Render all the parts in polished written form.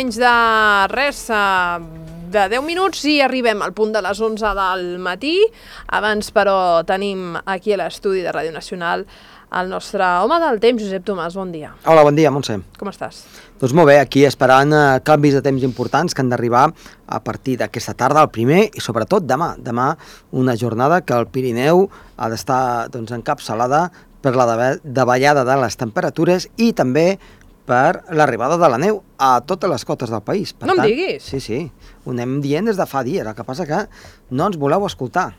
menys de res, de 10 minuts i arribem al punt de les 11 del matí. Abans, però, tenim aquí a l'estudi de Ràdio Nacional el nostre home del temps, Josep Tomàs. Bon dia. Hola, bon dia, Montse. Com estàs? Doncs molt bé, aquí esperant canvis de temps importants que han d'arribar a partir d'aquesta tarda, el primer, i sobretot demà. Demà una jornada que el Pirineu ha d'estar encapçalada per la davallada de les temperatures i també per l'arribada de la neu a totes les cotes del país. Per no tant, em diguis! Sí, ho anem dient des de fa dies, el que passa que no ens voleu escoltar,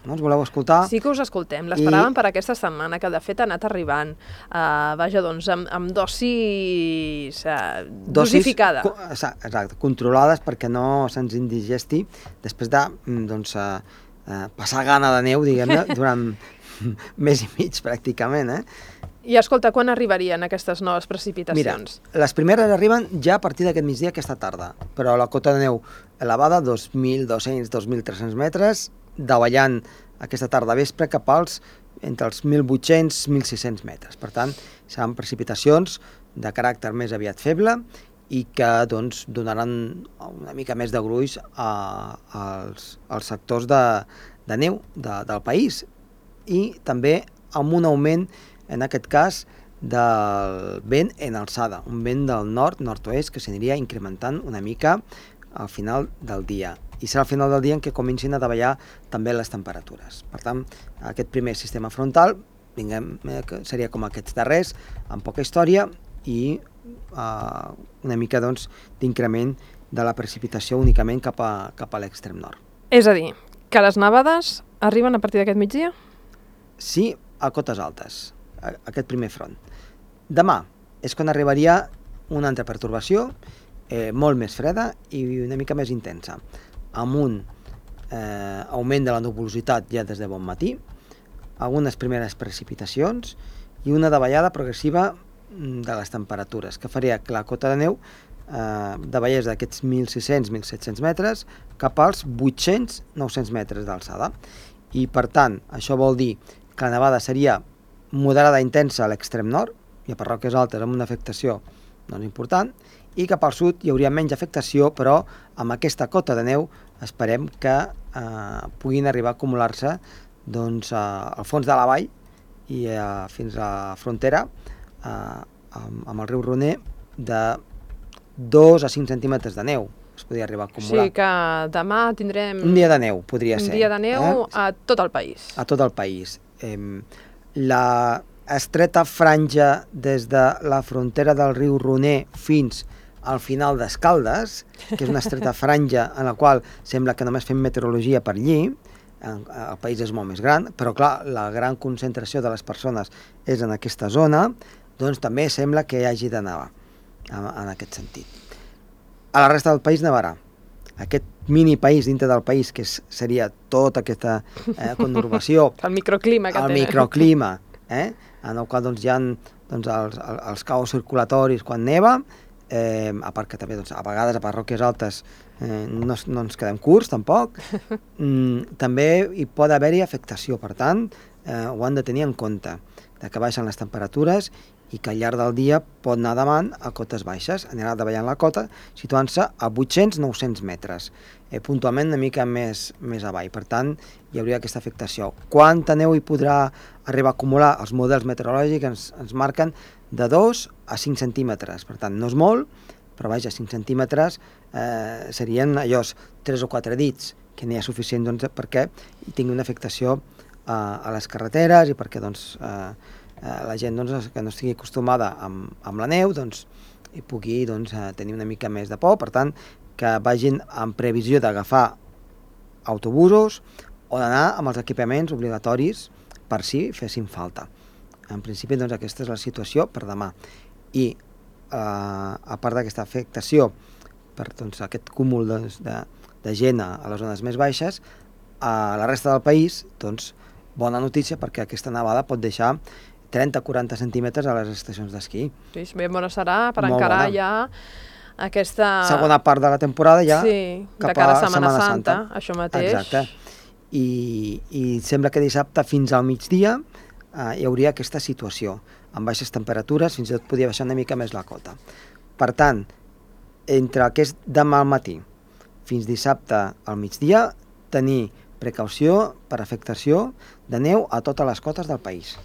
Sí que us escoltem, l'esperàvem per aquesta setmana, que de fet ha anat arribant, amb dosis dosificada. Exacte, controlades perquè no se'ns indigesti després de passar gana de neu, diguem-ne, durant mes i mig pràcticament, I escolta, quan arribarien aquestes noves precipitacions? Mira, les primeres arriben ja a partir d'aquest migdia, aquesta tarda, però la cota de neu elevada, 2.200, 2.300 metres, davallant aquesta tarda vespre cap entre els 1.800 i 1.600 metres. Per tant, seran precipitacions de caràcter més aviat feble i que donaran una mica més de gruix als sectors de neu del país i també amb un augment, en aquest cas, del vent en alçada, un vent del nord-nord-oest que s'aniria incrementant una mica al final del dia. I serà al final del dia en què comencin a davallar també les temperatures. Per tant, aquest primer sistema frontal seria com aquests darrers, amb poca història i una mica d'increment de la precipitació únicament cap a l'extrem nord. És a dir, que les nevades arriben a partir d'aquest migdia? Sí, a cotes altes, aquest primer front. Demà és quan arribaria una altra pertorbació molt més freda i una mica més intensa, amb un augment de la nuvolositat ja des de bon matí, algunes primeres precipitacions i una davallada progressiva de les temperatures, que faria que la cota de neu davallés d'aquests 1.600-1.700 metres cap als 800-900 metres d'alçada. I, per tant, això vol dir que la nevada seria moderada intensa a l'extrem nord, i a parròquies altes amb una afectació important, i cap al sud hi hauria menys afectació, però amb aquesta cota de neu esperem que puguin arribar a acumular-se al fons de la vall i fins a la frontera amb el riu Roner de 2 a 5 centímetres de neu. Es podria arribar a acumular. O sigui que demà tindrem... Un dia de neu, podria ser. Un dia de neu a tot el país. A tot el país. La estreta franja des de la frontera del riu Roner fins al final d'Escaldes, que és una estreta franja en la qual sembla que només fem meteorologia per allí, el país és molt més gran, però clar, la gran concentració de les persones és en aquesta zona, doncs també sembla que hi hagi de nevar en aquest sentit. A la resta del país nevarà. Aquest mini país dintre del país, que seria tota aquesta conurbació, el microclima que té. El microclima, en el qual hi ha els caos circulatoris quan neva, a part que també a vegades a parròquies altes no ens quedem curts tampoc, també hi pot haver-hi afectació, per tant ho han de tenir en compte, que baixen les temperatures i que al llarg del dia pot anar davant a cotes baixes, anirà davallant la cota, situant-se a 800-900 metres, puntualment una mica més avall. Per tant, hi hauria aquesta afectació. Quanta neu hi podrà arribar a acumular? Els models meteorològics ens marquen de 2 a 5 centímetres. Per tant, no és molt, però vaja, 5 centímetres serien allò 3 o 4 dits, que n'hi ha suficient perquè hi tingui una afectació a les carreteres i perquè la gent que no estigui acostumada amb la neu hi pugui tenir una mica més de por, per tant que vagin en previsió d'agafar autobusos o d'anar amb els equipaments obligatoris per si fessin falta. En principi aquesta és la situació per demà i a part d'aquesta afectació per aquest cúmul de gent a les zones més baixes, a la resta del país bona notícia perquè aquesta nevada pot deixar 30-40 centímetres a les estacions d'esquí. Sí, ben bona serà per encarar ja aquesta... segona part de la temporada ja cap a Setmana Santa, això mateix. Exacte. I sembla que dissabte fins al migdia hi hauria aquesta situació, amb baixes temperatures, fins i tot podia baixar una mica més la cota. Per tant, entre el que és demà al matí fins dissabte al migdia, tenir precaució per afectació de neu a totes les cotes del país.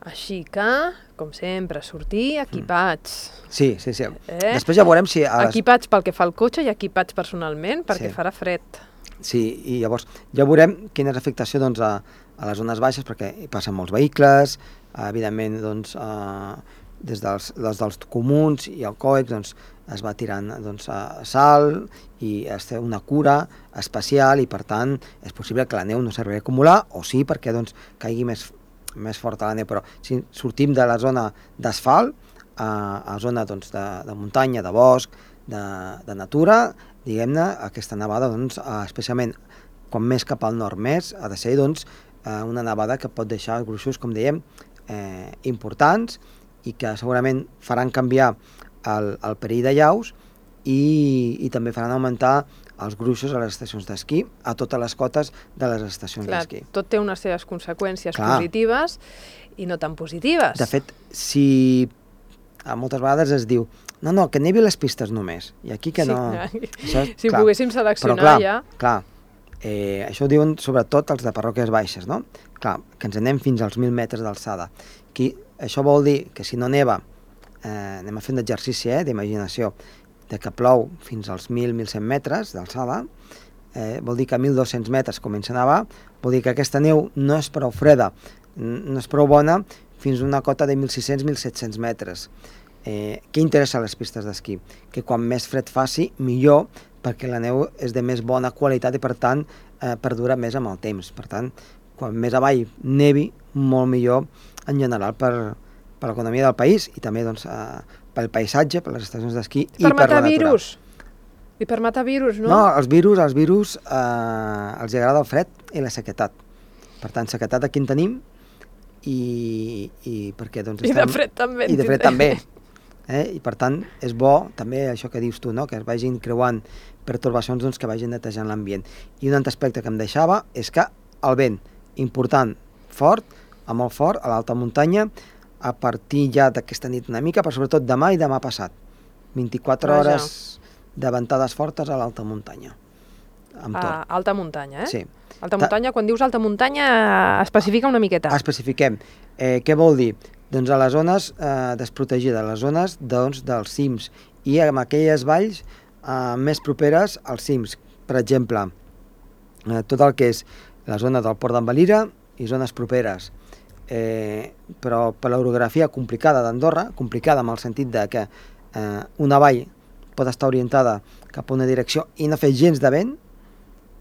Així que, com sempre, sortir equipats. Sí. Després ja veurem si... Equipats pel que fa al cotxe i equipats personalment, perquè farà fred. Sí, i llavors ja veurem quina és l'afectació doncs, a les zones baixes, perquè hi passen molts vehicles, evidentment doncs, des dels comuns i el COEX doncs, es va tirant doncs, sal i es té una cura especial i per tant és possible que la neu no s'arribi a acumular o sí perquè doncs, caigui més forta la neu, però si sortim de la zona d'asfalt a zona doncs, de muntanya, de bosc, de natura, diguem-ne, aquesta nevada, doncs, especialment quan més cap al nord més, ha de ser doncs, una nevada que pot deixar gruixos, com dèiem, importants i que segurament faran canviar el perill de llaus i també faran augmentar els gruixos a les estacions d'esquí, a totes les cotes de les estacions d'esquí. Tot té unes seves conseqüències positives i no tan positives. De fet, si moltes vegades es diu no, que nevi les pistes només, i aquí que no... Si poguéssim seleccionar ja... Clar, això ho diuen sobretot els de parròquies baixes, no? Clar, que ens anem fins als 1.000 metres d'alçada. Això vol dir que si no neva, anem a fer un exercici d'imaginació, de que plou fins als 1.100 metres d'alçada, vol dir que a 1.200 metres comença a nevar, vol dir que aquesta neu no és prou freda, no és prou bona fins a una cota de 1.600-1.700 metres. Què interessa a les pistes d'esquí? Que quan més fred faci, millor, perquè la neu és de més bona qualitat i per tant perdura més amb el temps. Per tant, quan més avall nevi, molt millor en general per l'economia del país i també doncs, pel paisatge, per les estacions d'esquí i per la natura. I per matar virus, no? No, els virus els agrada el fred i la sequedat. Per tant, sequedat aquí en tenim i perquè doncs I de fred també. I de fred també. I per tant, és bo també això que dius tu, no? Que es vagin creuant pertorbacions doncs, que vagin netejant l'ambient. I un altre aspecte que em deixava és que el vent, important, fort, molt fort, a l'alta muntanya, a partir ja d'aquesta nit una mica, però sobretot demà i demà passat. 24 hores de ventades fortes a l'alta muntanya. Alta muntanya, Sí. Alta muntanya, quan dius alta muntanya, especifica una miqueta. Especifiquem. Què vol dir? Doncs a les zones desprotegides, les zones doncs, dels cims i en aquelles valls més properes als cims. Per exemple, tot el que és la zona del Port d'en Valira i zones properes. Però per l'orografia complicada d'Andorra, complicada en el sentit de que una vall pot estar orientada cap a una direcció i no fer gens de vent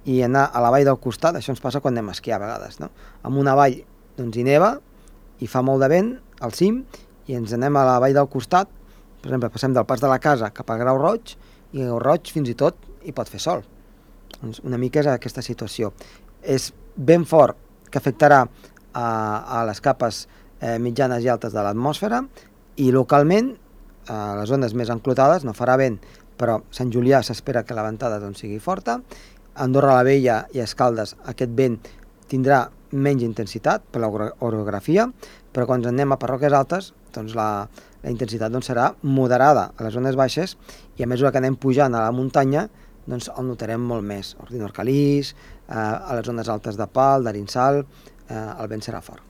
i anar a la vall del costat, això ens passa quan anem a esquiar a vegades, no? En una vall doncs, hi neva i fa molt de vent al cim i ens anem a la vall del costat, per exemple, passem del Pas de la Casa cap a Grau Roig i Grau Roig fins i tot hi pot fer sol. Doncs una mica és aquesta situació. És ben fort que afectarà a les capes mitjanes i altes de l'atmosfera i localment a les zones més enclotades no farà vent, però Sant Julià s'espera que la ventada doncs, sigui forta. Andorra la Vella i Escaldes aquest vent tindrà menys intensitat per l'orografia, però quan anem a parròquies altes doncs la intensitat doncs, serà moderada a les zones baixes i a mesura que anem pujant a la muntanya doncs, el notarem molt més. Ordino Arcalís, a les zones altes de Pal, d'Arinsal, el vent serà fort.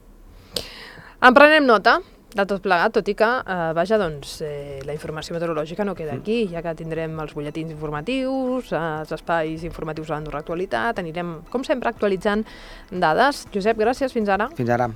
En prenem nota de tot plegat, tot i que, la informació meteorològica no queda aquí, ja que tindrem els butlletins informatius, els espais informatius de l'Andorra Actualitat, anirem, com sempre, actualitzant dades. Josep, gràcies, fins ara. Fins ara.